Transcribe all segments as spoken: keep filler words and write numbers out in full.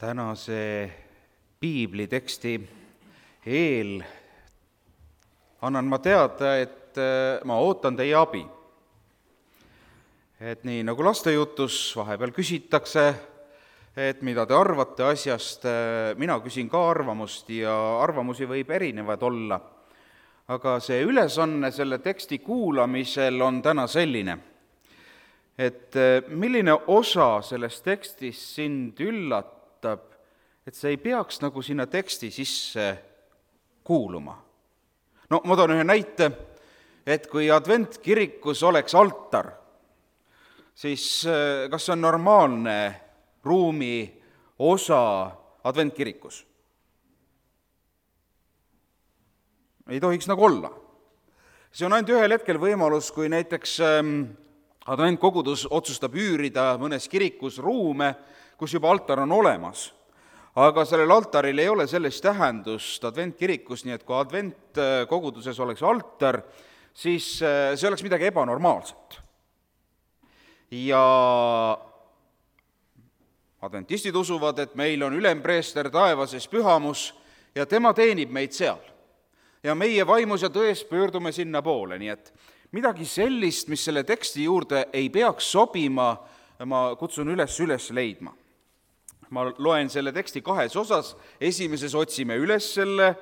tänase piibliteksti eel annan ma teada, et ma ootan teie abi. Et nii nagu lastejutus vahepeal küsitakse, et mida te arvate asjast, mina küsin ka arvamust ja arvamusi võib erinevad olla. Aga see ülesanne selle teksti kuulamisel on täna selline, et milline osa sellest tekstist sind üllatab, et see ei peaks nagu sinna teksti sisse kuuluma. No ma toon ühe näite, et kui adventkirikus oleks altar, siis kas see on normaalne ruumi osa adventkirikus? Ei tohiks nagu olla. See on ainult ühel hetkel võimalus, kui näiteks adventkogudus otsustab üürida mõnes kirikus ruume, kus juba altar on olemas. Aga sellel altaril ei ole sellist tähendust adventkirikus, nii et kui adventkoguduses oleks altar, siis see oleks midagi ebanormaalset. Ja adventistid usuvad, et meil on ülempreester taevases pühamus ja tema teenib meid seal. Ja meie vaimus ja tões pöördume sinna poole, nii et midagi sellist, mis selle teksti juurde ei peaks sobima, ma kutsun üles üles leidma. Ma loen selle teksti kahes osas, esimeses otsime üles selle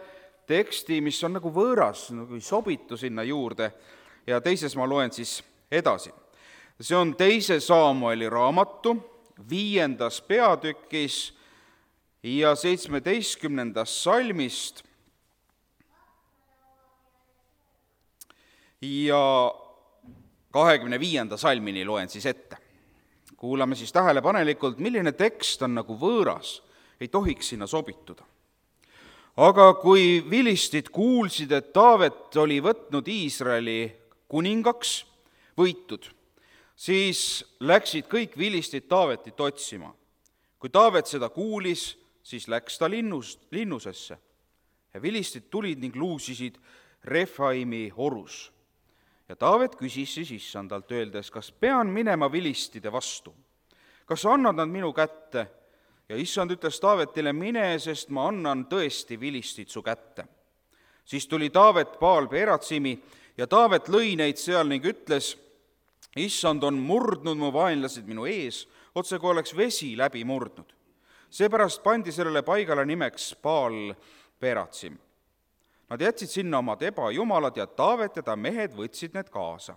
teksti, mis on nagu võõras, nagu ei sobitu sinna juurde, ja teises ma loen siis edasi. See on teise Saamueli raamatu, viiendas peatükis ja seitsmeteistkümnendast salmist ja kahekümne viienda salmini loen siis ette. Kuulame siis tähelepanelikult, milline tekst on nagu võõras, ei tohiks sinna sobituda. Aga kui vilistid kuulsid, et Taavet oli võtnud Iisraeli kuningaks, võitud, siis läksid kõik vilistid Taavetit otsima. Kui Taavet seda kuulis, siis läks ta linnust, linnusesse ja vilistid tulid ning luusisid Refaimi orus. Ja Taavet küsis siis issandalt öeldes, kas pean minema vilistide vastu? Kas annad nad minu kätte? Ja issand ütles Taavetile, mine, sest ma annan tõesti vilistid su kätte. Siis tuli Taavet Baal Peratsimi ja Taavet lõi neid seal ning ütles, issand on murdnud mu vaenlased minu ees, otse kui oleks vesi läbi murdnud. Seepärast pandi sellele paigale nimeks Baal Peratsim. Nad jätsid sinna omad ebajumalad ja Taavet ja ta mehed võtsid need kaasa.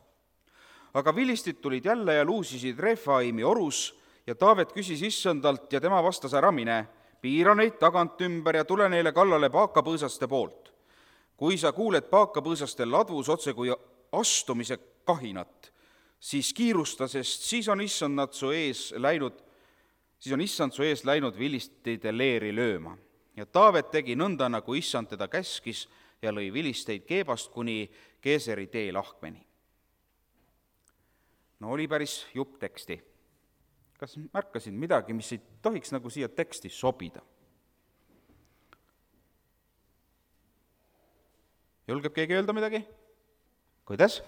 Aga vilistid tulid jälle ja luusisid Refaimi orus ja Taavet küsis issandalt ja tema vastas, ära mine, piira neid tagant ümber ja tule neile kallale paakapõõsaste poolt. Kui sa kuuled paakapõõsaste ladvus otse kui astumise kahinat, siis kiirusta, sest siis on issand nad su ees läinud, siis on issand su ees läinud vilistide leeri lööma. Ja Taavet tegi nõnda, nagu issand teda käskis, ja lõi vilisteid Keebast kuni Keeseri tee lahkmeni. No oli päris jupp teksti. Kas märkasid midagi, mis ei tohiks nagu siia teksti sobida? Julgeb keegi öelda midagi? Kuidas?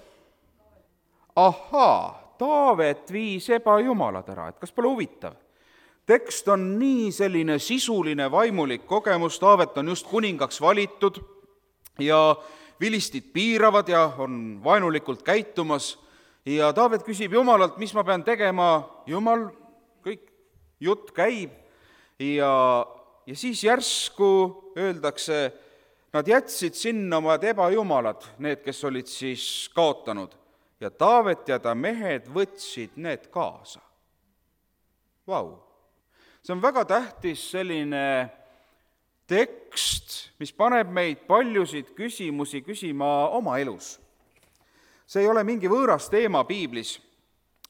Ahaa, Taavet viis ebajumalad ära, et kas pole huvitav? Tekst on nii selline sisuline vaimulik kogemus, Taavet on just kuningaks valitud ja vilistid piiravad ja on vaenulikult käitumas ja Taavet küsib Jumalalt, mis ma pean tegema, Jumal, kõik jutt käib ja, ja siis järsku öeldakse, nad jätsid sinna omad ebajumalad, need, kes olid siis kaotanud ja Taavet ja ta mehed võtsid need kaasa. Vau! See on väga tähtis selline tekst, mis paneb meid paljusid küsimusi küsima oma elus. See ei ole mingi võõras teema piiblis,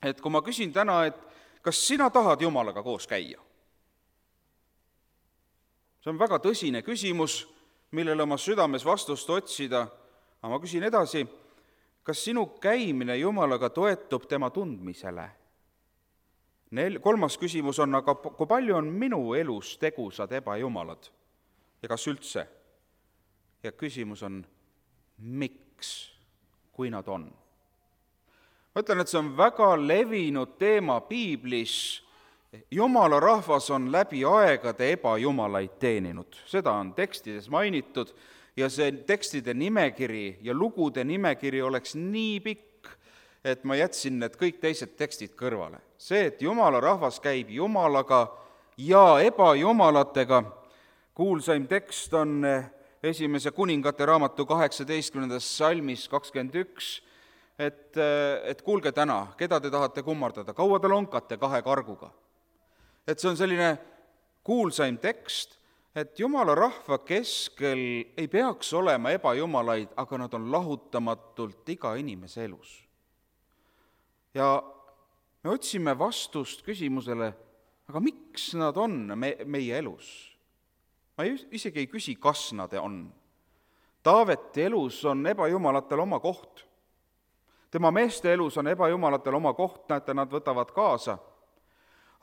et kui ma küsin täna, et kas sina tahad Jumalaga koos käia? See on väga tõsine küsimus, millele oma südames vastust otsida, aga ma küsin edasi, kas sinu käimine Jumalaga toetub tema tundmisele? Nel, kolmas küsimus on, aga kui palju on minu elus tegusad ebajumalad ja kas üldse? Ja küsimus on, miks, kui nad on? Ma ütlen, et see on väga levinud teema piiblis Jumala rahvas on läbi aegade ebajumalaid teeninud, seda on tekstides mainitud ja see tekstide nimekiri ja lugude nimekiri oleks nii pikk, et ma jätsin need kõik teised tekstid kõrvale. See, et Jumala rahvas käib Jumalaga ja ebajumalatega, kuulsaim tekst on esimese kuningate raamatu kaheksateistkümnendas salmis kakskümmend üks, et, et kuulge täna, keda te tahate kummardada, kaua te lonkate kahe karguga. Et see on selline kuulsaim tekst, et Jumala rahva keskel ei peaks olema ebajumalaid, aga nad on lahutamatult iga inimese elus. Ja me otsime vastust küsimusele, aga miks nad on me, meie elus? Ma isegi ei küsi, kas nad on. Taaveti elus on ebajumalatel oma koht. Tema meeste elus on ebajumalatel oma koht, näete, nad võtavad kaasa.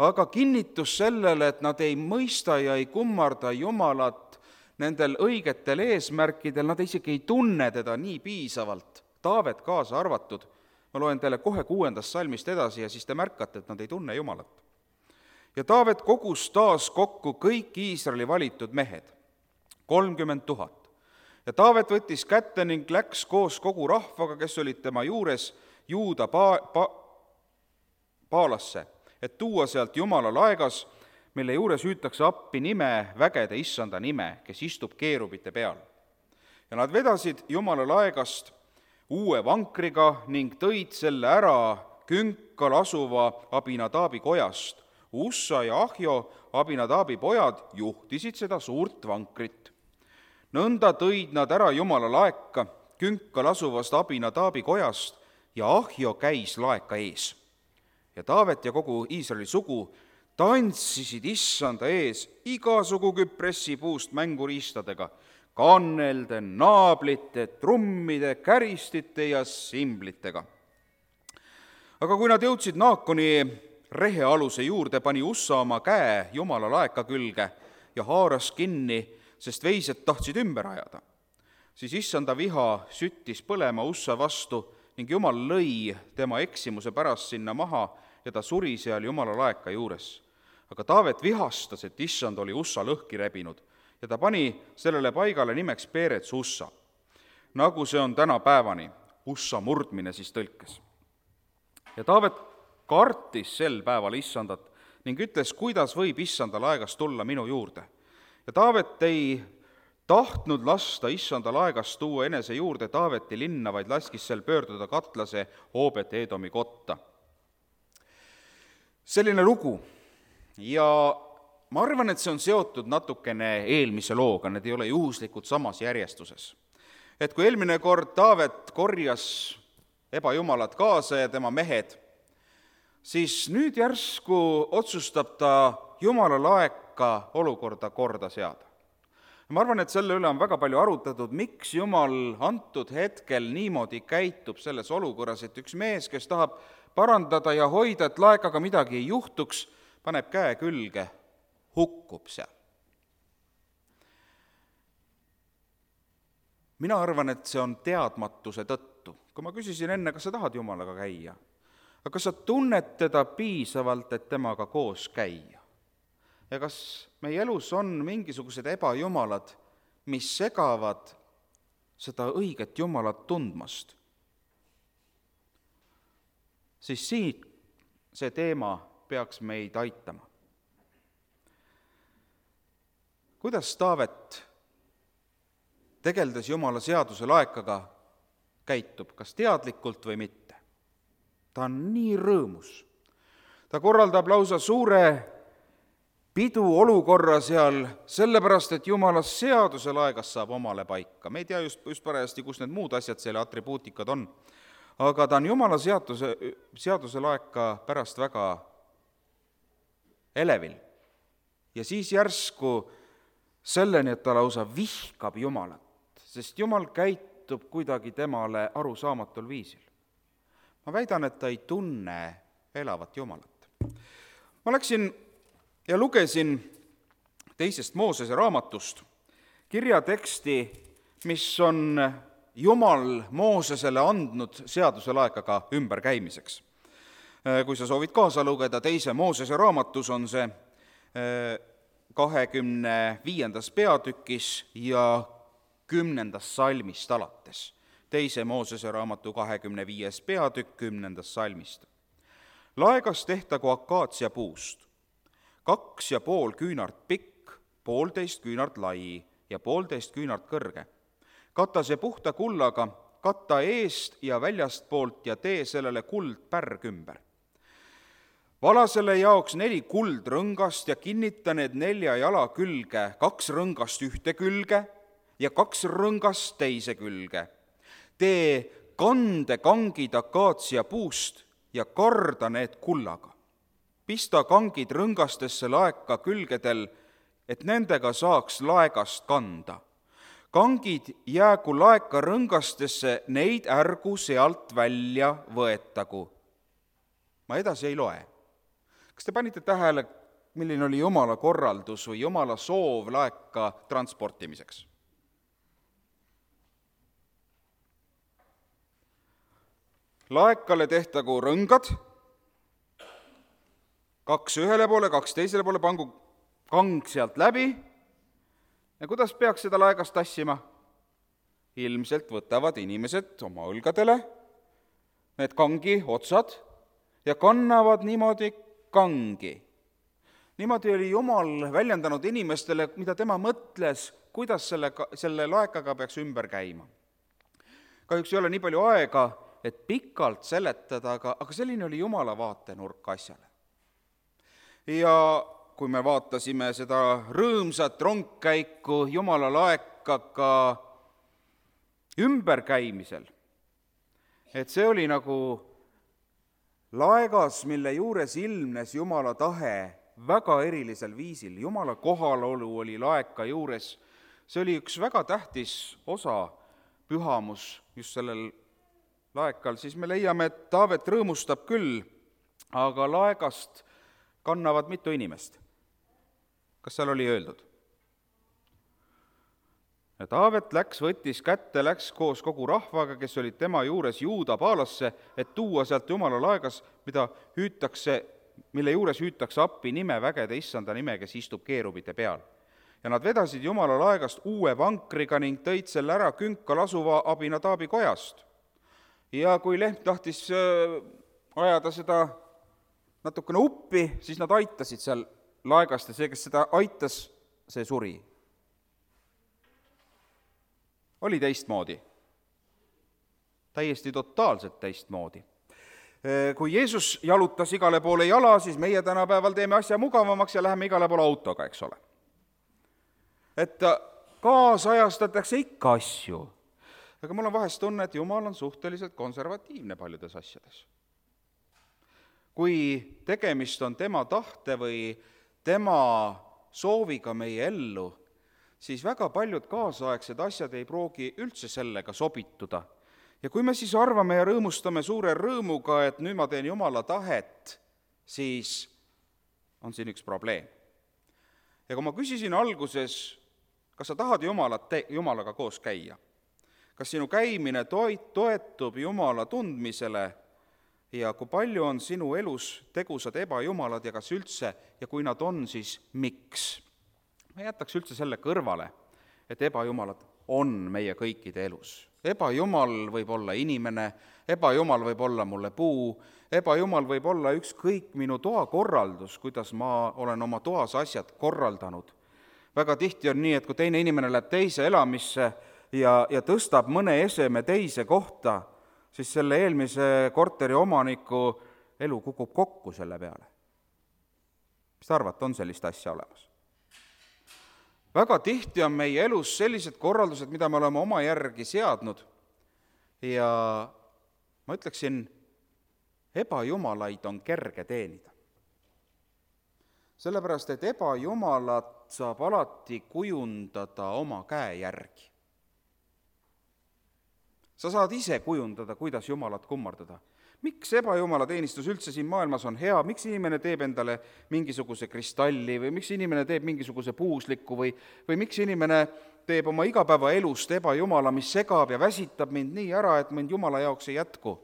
Aga kinnitus sellele, et nad ei mõista ja ei kummarda Jumalat nendel õigetel eesmärkidel, nad isegi ei tunne teda nii piisavalt, Taavet kaasa arvatud. Ma loen teile kohe kuuendast salmist edasi ja siis te märkate, et nad ei tunne Jumalat. Ja Taavet kogus taas kokku kõik Iisraeli valitud mehed, kolmkümmend tuhat. Ja Taavet võttis kätte ning läks koos kogu rahvaga, kes olid tema juures, Juuda pa- pa- paalasse, et tuua sealt Jumala laegas, mille juures hüütakse appi nime, vägede issanda nime, kes istub keerubite peal. Ja nad vedasid Jumala laegast uue vankriga ning tõid selle ära Künkal asuva Abinadaabi kojast. Ussa ja Ahjo, Abinadaabi pojad, juhtisid seda suurt vankrit. Nõnda tõid nad ära Jumala laeka Künkal asuvast Abinadaabi kojast ja Ahjo käis laeka ees. Ja Taavet ja kogu Iisraeli sugu tantsisid issanda ees igasugu küpressi puust mänguriistadega, kannelde, naablite, trummide, käristite ja simblitega. Aga kui nad jõudsid Naakoni rehealuse juurde, pani Ussa oma käe Jumala laeka külge ja haaras kinni, sest veised tahtsid ümber ajada. Siis issanda viha süttis põlema Ussa vastu ning Jumal lõi tema eksimuse pärast sinna maha ja ta suri seal Jumala laeka juures. Aga Taavet vihastas, et issand oli Ussa lõhki rebinud ja ta pani sellele paigale nimeks Peerets Ussa, nagu see on täna päevani, Ussa murdmine siis tõlkes. Ja Taavet kartis sel päeval issandat ning ütles, kuidas võib issanda laegast tulla minu juurde. Ja Taavet ei tahtnud lasta issanda laegast tuua enese juurde Taaveti linna, vaid laskis sel pöörduda katlase Oobet Edomi kotta. Selline lugu. Ja ma arvan, et see on seotud natukene eelmise looga, need ei ole juhuslikult samas järjestuses. Et kui eelmine kord Taavet korjas ebajumalad kaasa ja tema mehed, siis nüüd järsku otsustab ta Jumala laeka olukorda korda seada. Ma arvan, et selle üle on väga palju arutatud, miks Jumal antud hetkel niimoodi käitub selles olukorras, et üks mees, kes tahab parandada ja hoida, et laekaga midagi ei juhtuks, paneb käe külge, hukkub seal. Mina arvan, et see on teadmatuse tõttu. Kui ma küsisin enne, kas sa tahad Jumalaga käia, aga kas sa tunned teda piisavalt, et temaga koos käia? Ja kas meie elus on mingisugused ebajumalad, mis segavad seda õiget Jumalat tundmast? Siis siit see teema peaks meid aitama. Kuidas Taavet tegeldes Jumala seaduse laekaga käitub, kas teadlikult või mitte? Ta on nii rõõmus. Ta korraldab lausa suure pidu olukorra seal, sellepärast, et Jumala seaduse laegas saab omale paika. Me ei tea just, just parajasti, kus need muud asjad, selle atribuutikad on. Aga ta on Jumala seaduse, seaduse laeka pärast väga elevil. Ja siis järsku selleni, et ta lausa vihkab Jumalat, sest Jumal käitub kuidagi temale arusaamatul viisil. Ma väidan, et ta ei tunne elavat Jumalat. Ma läksin ja lugesin teisest Moosese raamatust kirjateksti, mis on Jumal Moosesele andnud seaduse laekaga ümberkäimiseks. Kui sa soovid kaasa lugeda, teise Moosese raamatus on see kahekümne viiendas peatükis ja kümnendast salmist alates. Teise Moosese raamatu kahekümne viies peatükk kümnendast salmist. Laegas tehtagu akaatsia puust, kaks ja pool küünart pikk, poolteist küünart lai ja poolteist küünart kõrge. Kata see puhta kullaga, katta eest ja väljastpoolt ja tee sellele kuldpärg ümber. Vala selle jaoks neli kuldrõngast ja kinnita need nelja jala külge, kaks rõngast ühte külge ja kaks rõngast teise külge. Tee kandekangid akaatsia puust ja karda need kullaga. Pista kangid rõngastesse laeka külgedel, et nendega saaks laegast kanda. Kangid jäägu laeka rõngastesse, neid ärgu sealt välja võetagu. Ma edasi ei loe. Kas te panite tähele, milline oli Jumala korraldus või Jumala soov laeka transportimiseks? Laekale tehtagu rõngad, kaks ühele poole, kaks teisele poole, pangu kang sealt läbi. Ja kuidas peaks seda laegast tassima? Ilmselt võtavad inimesed oma õlgadele need kangi otsad ja kannavad niimoodi kangi. Niimoodi oli Jumal väljendanud inimestele, mida tema mõtles, kuidas selle, selle laekaga peaks ümber käima. Kahjuks ei ole nii palju aega, et pikalt seletada, aga, aga selline oli Jumala vaatenurk asjale. Ja kui me vaatasime seda rõõmsat rongkäiku Jumala laekaga ümberkäimisel, et see oli nagu laegas, mille juures ilmnes Jumala tahe väga erilisel viisil. Jumala kohalolu oli laeka juures. See oli üks väga tähtis osa pühamus just sellel laekal. Siis me leiame, et Taavet rõõmustab küll, aga laegast kannavad mitu inimest. Kas seal oli öeldud? Ja Taavet läks, võttis kätte, läks koos kogu rahvaga, kes olid tema juures Juuda paalasse, et tuua sealt Jumala laegas, mida hüütakse, mille juures hüütakse appi nime vägede issanda nime, kes istub keerubite peal. Ja nad vedasid Jumala laegast uue vankriga ning tõid selle ära künkal asuva Abinadaabi kojast. Ja kui lehm tahtis ajada seda natukene uppi, siis nad aitasid seal laegast ja see, kes seda aitas, see suri. Oli teistmoodi. Täiesti totaalselt teistmoodi. Kui Jeesus jalutas igale poole jala, siis meie tänapäeval teeme asja mugavamaks ja läheme igale poole autoga, eks ole. Et kaasajastatakse ikka asju. Aga mul on vahest tunne, et Jumal on suhteliselt konservatiivne paljudes asjades. Kui tegemist on tema tahte või tema sooviga meie ellu, siis väga paljud kaasaegsed asjad ei proogi üldse sellega sobituda. Ja kui me siis arvame ja rõõmustame suure rõõmuga, et nüüd ma teen Jumala tahet, siis on siin üks probleem. Ja kui ma küsisin alguses, kas sa tahad Jumalat te- Jumalaga koos käia, kas sinu käimine toetub Jumala tundmisele ja kui palju on sinu elus tegusad ebajumalad ja kas üldse, ja kui nad on, siis miks? Ma jätaks üldse selle kõrvale, et ebajumalad on meie kõikide elus. Ebajumal võib olla inimene, ebajumal võib olla mulle puu, ebajumal võib olla ükskõik minu toa korraldus, kuidas ma olen oma toas asjad korraldanud. Väga tihti on nii, et kui teine inimene läheb teise elamisse ja, ja tõstab mõne eseme teise kohta, siis selle eelmise korteri omaniku elu kukub kokku selle peale. Mis te arvate, on sellist asja olemas? Väga tihti on meie elus sellised korraldused, mida me oleme oma järgi seadnud ja ma ütleksin, ebajumalaid on kerge teenida. Sellepärast, et ebajumalat saab alati kujundada oma käe järgi. Sa saad ise kujundada, kuidas Jumalat kummardada. Miks ebajumala teenistus üldse siin maailmas on hea, miks inimene teeb endale mingisuguse kristalli või miks inimene teeb mingisuguse puusliku või, või miks inimene teeb oma igapäeva elust ebajumala, mis segab ja väsitab mind nii ära, et mind Jumala jaoks ei jätku.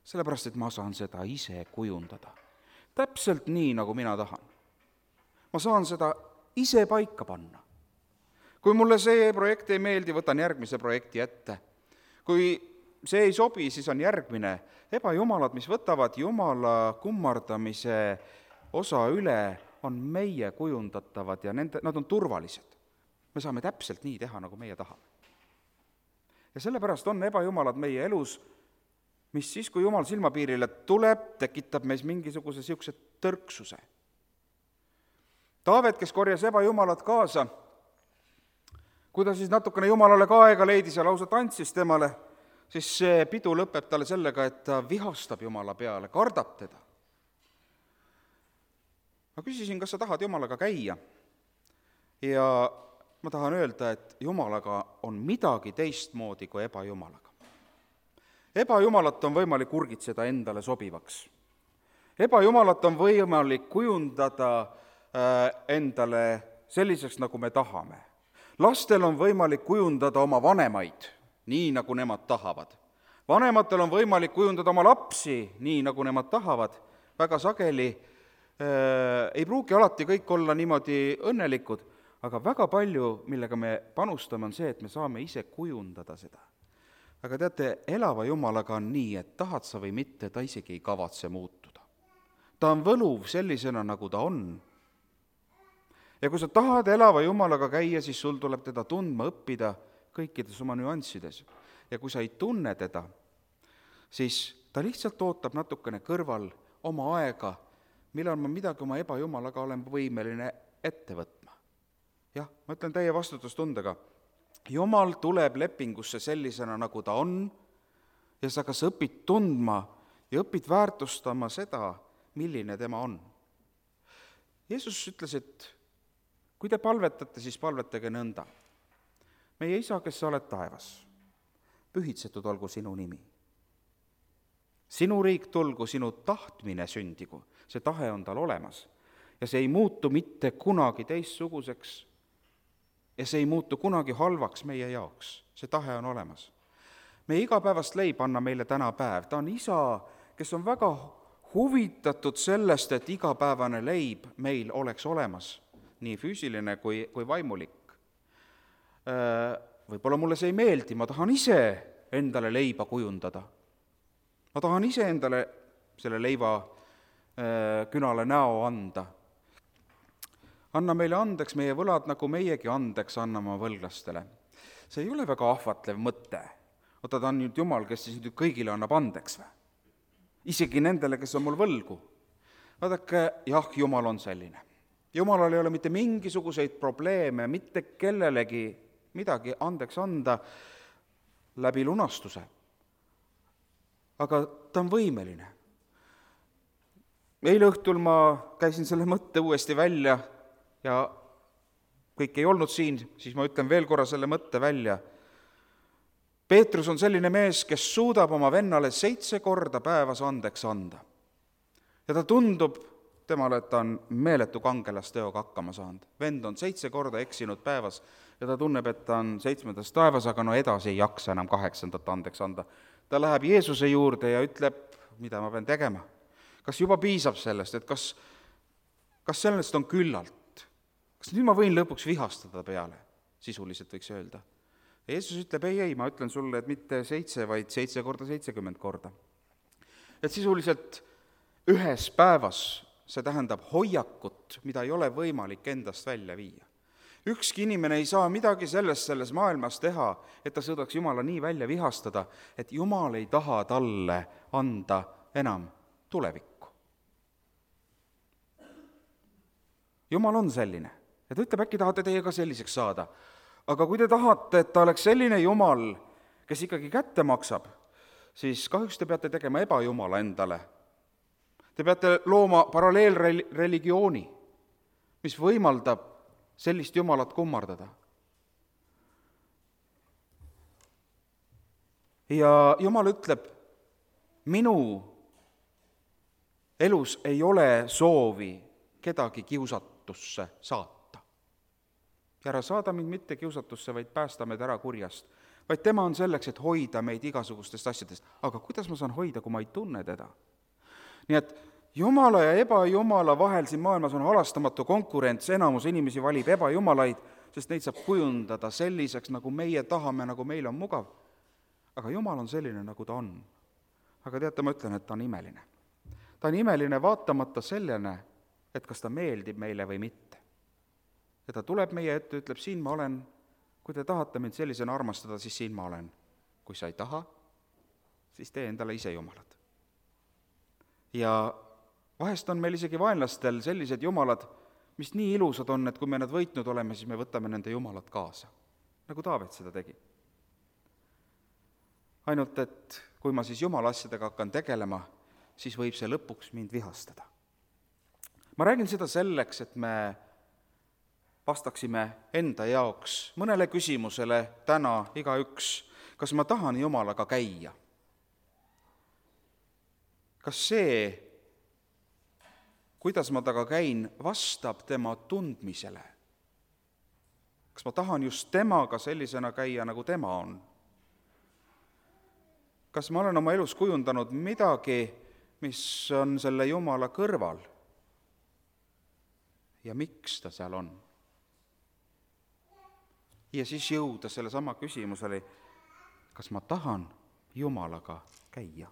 sellepärast et ma saan seda ise kujundada. Täpselt nii, nagu mina tahan. Ma saan seda ise paika panna. Kui mulle see projekt ei meeldi, võtan järgmise projekti ette. Kui see ei sobi, siis on järgmine. Ebajumalad, mis võtavad Jumala kummardamise osa üle, on meie kujundatavad ja nende, nad on turvalised. Me saame täpselt nii teha, nagu meie tahame. Ja sellepärast on ebajumalad meie elus, mis siis, kui Jumal silmapiirile tuleb, tekitab meis mingisuguse siukse tõrksuse. Taavet, kes korjas ebajumalad kaasa, kui ta siis natukene Jumalale ka aega leidis ja lausa tantsis temale, siis see pidu lõpeb talle sellega, et ta vihastab Jumala peale, kardab teda. Ma küsisin, kas sa tahad Jumalaga käia? Ja ma tahan öelda, et Jumalaga on midagi teistmoodi kui ebajumalaga. Ebajumalat on võimalik urgitseda endale sobivaks. Ebajumalat on võimalik kujundada endale selliseks, nagu me tahame. Lastel on võimalik kujundada oma vanemaid, nii nagu nemad tahavad. Vanematel on võimalik kujundada oma lapsi, nii nagu nemad tahavad. Väga sageli äh, ei pruugi alati kõik olla niimoodi õnnelikud, aga väga palju, millega me panustame, on see, et me saame ise kujundada seda. Aga teate, elava Jumalaga on nii, et tahad sa või mitte, ta isegi ei kavatse muutuda. Ta on võluv sellisena, nagu ta on. Ja kui sa tahad elava Jumalaga käia, siis sul tuleb teda tundma õppida kõikides oma nüanssides. Ja kui sa ei tunne teda, siis ta lihtsalt ootab natukene kõrval oma aega, millal ma midagi oma ebajumalaga olen võimeline ette võtma. Jah, ma ütlen teie vastutustundega, Jumal tuleb lepingusse sellisena, nagu ta on, ja sa kas õpid tundma ja õpid väärtustama seda, milline tema on. Jeesus ütles, et kui te palvetate, siis palvetage nõnda. Meie isa, kes sa oled taevas, pühitsetud olgu sinu nimi. Sinu riik tulgu, sinu tahtmine sündigu, see tahe on tal olemas. Ja see ei muutu mitte kunagi teistsuguseks ja see ei muutu kunagi halvaks meie jaoks. See tahe on olemas. Meie igapäevast leib anna meile täna päev. Ta on isa, kes on väga huvitatud sellest, et igapäevane leib meil oleks olemas. Nii füüsiline kui, kui vaimulik. Võib-olla mulle see ei meeldi, ma tahan ise endale leiba kujundada. Ma tahan ise endale selle leiva künale näo anda. Anna meile andeks meie võlad, nagu meiegi andeks anname võlglastele. See ei ole väga ahvatlev mõte. Oota, ta on nüüd Jumal, kes siis nüüd kõigile annab andeks või? Isegi nendele, kes on mul võlgu. Vaadake, jah, Jumal on selline. Jumalal ei ole mitte mingisuguseid probleeme, mitte kellelegi midagi andeks anda läbi lunastuse. Aga ta on võimeline. Eile õhtul ma käisin selle mõtte uuesti välja ja kõik ei olnud siin, siis ma ütlen veel korra selle mõtte välja. Peetrus on selline mees, kes suudab oma vennale seitse korda päevas andeks anda. Ja ta tundub temale, et ta on meeletu kangelasteoga hakkama saanud. Vend on seitse korda eksinud päevas ja ta tunneb, et ta on seitsmendas taevas, aga no edasi ei jaksa enam kaheksandat andeks anda. Ta läheb Jeesuse juurde ja ütleb, mida ma pean tegema. Kas juba piisab sellest, et kas, kas sellest on küllalt? Kas nüüd ma võin lõpuks vihastada peale? Sisuliselt võiks öelda. Ja Jeesus ütleb, ei, ei, ma ütlen sulle, et mitte seitse, vaid seitse korda seitsekümmend korda. Et sisuliselt ühes päevas see tähendab hoiakut, mida ei ole võimalik endast välja viia. Ükski inimene ei saa midagi sellest selles maailmas teha, et ta suudaks Jumala nii välja vihastada, et Jumal ei taha talle anda enam tulevikku. Jumal on selline. Ja ta ütleb, äkki tahate teie ka selliseks saada. Aga kui te tahate, et ta oleks selline Jumal, kes ikkagi kätte maksab, siis kahjuks te peate tegema ebajumala endale. Te peate looma paralleelreligiooni, mis võimaldab sellist Jumalat kummardada. Ja Jumal ütleb, minu elus ei ole soovi kedagi kiusatusse saata. Ja ära saada mind mitte kiusatusse, vaid päästa meid ära kurjast. vaid tema on selleks, et hoida meid igasugustest asjadest. Aga kuidas ma saan hoida, kui ma ei tunne teda? Nii et Jumala ja ebajumala vahel siin maailmas on halastamatu konkurents, enamus inimesi valib ebajumalaid, sest neid saab kujundada selliseks, nagu meie tahame, nagu meil on mugav. Aga Jumal on selline, nagu ta on. Aga teate, ma ütlen, et ta on imeline. Ta on imeline vaatamata sellene, et kas ta meeldib meile või mitte. Ja ta tuleb meie ette, ütleb, siin ma olen, kui te tahate mind sellisena armastada, siis siin ma olen. Kui sa ei taha, siis tee endale ise jumalad. Ja vahest on meil isegi vaenlastel sellised jumalad, mis nii ilusad on, et kui me nad võitnud oleme, siis me võtame nende jumalad kaasa, nagu Taavet seda tegi. Ainult, et kui ma siis jumala asjadega hakkan tegelema, siis võib see lõpuks mind vihastada. Ma räägin seda selleks, et me vastaksime enda jaoks mõnele küsimusele täna igaüks, kas ma tahan jumalaga käia? Kas see, kuidas ma taga käin, vastab tema tundmisele? Kas ma tahan just temaga sellisena käia, nagu tema on? Kas ma olen oma elus kujundanud midagi, mis on selle Jumala kõrval? Ja miks ta seal on? Ja siis jõuda selle sama küsimusele, kas ma tahan Jumalaga käia?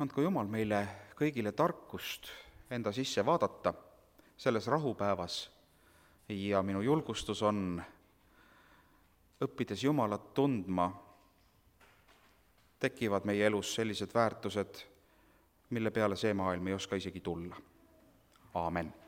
Andku Jumal meile kõigile tarkust enda sisse vaadata selles rahupäevas ja minu julgustus on, õppides Jumalat tundma, tekivad meie elus sellised väärtused, mille peale see maailm ei oska isegi tulla. Aamen.